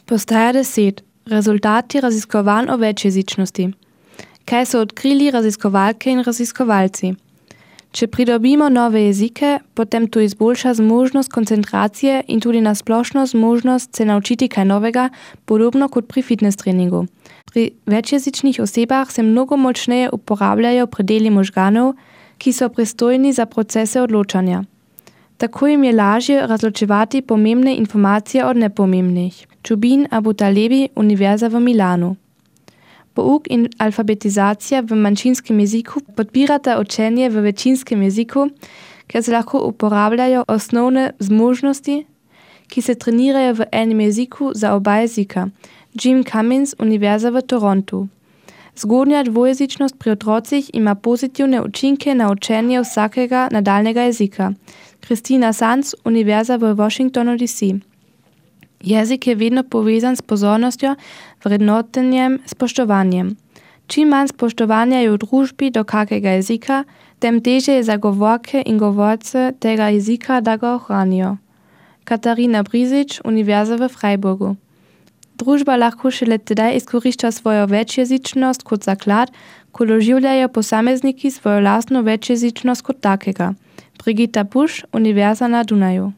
Postaja 10. Rezultati raziskovanj o večjezičnosti. Kaj so odkrili raziskovalke in raziskovalci? Če pridobimo nove jezike, potem to izboljša zmožnost koncentracije in tudi na splošno zmožnost se naučiti kaj novega, podobno kot pri fitness treningu. Pri večjezičnih osebah se mnogo močneje uporabljajo predeli možganov, ki so pristojni za procese odločanja. Tako jim je lažje razločevati pomembne informacije od nepomembnih. Čubin Abutalebi, Univerza v Milanu. Pouk in alfabetizacija v manjšinskem jeziku podpirata učenje v večinskem jeziku, ker se lahko uporabljajo osnovne zmožnosti, ki se trenirajo v enem jeziku za oba jezika. Jim Cummins, Univerza v Torontu. Zgodnja dvojezičnost pri otrocih ima pozitivne učinke na učenje vsakega nadaljnega jezika. Kristina Sanz, Univerza v Washingtonu DC. Jezik je vedno povezan s pozornostjo, vrednotenjem, spoštovanjem. Čim manj spoštovanja je v družbi do kakega jezika, tem težje je za govorke in govorce tega jezika, da ga ohranijo. Katarina Brizič, Univerza v Freiburgu. Družba lahko šele tedaj izkorišča svojo večjezičnost kot zaklad, ko doživljajo posamezniki svojo lastno večjezičnost kot takega. Brigitta Busch, Univerza na Dunaju.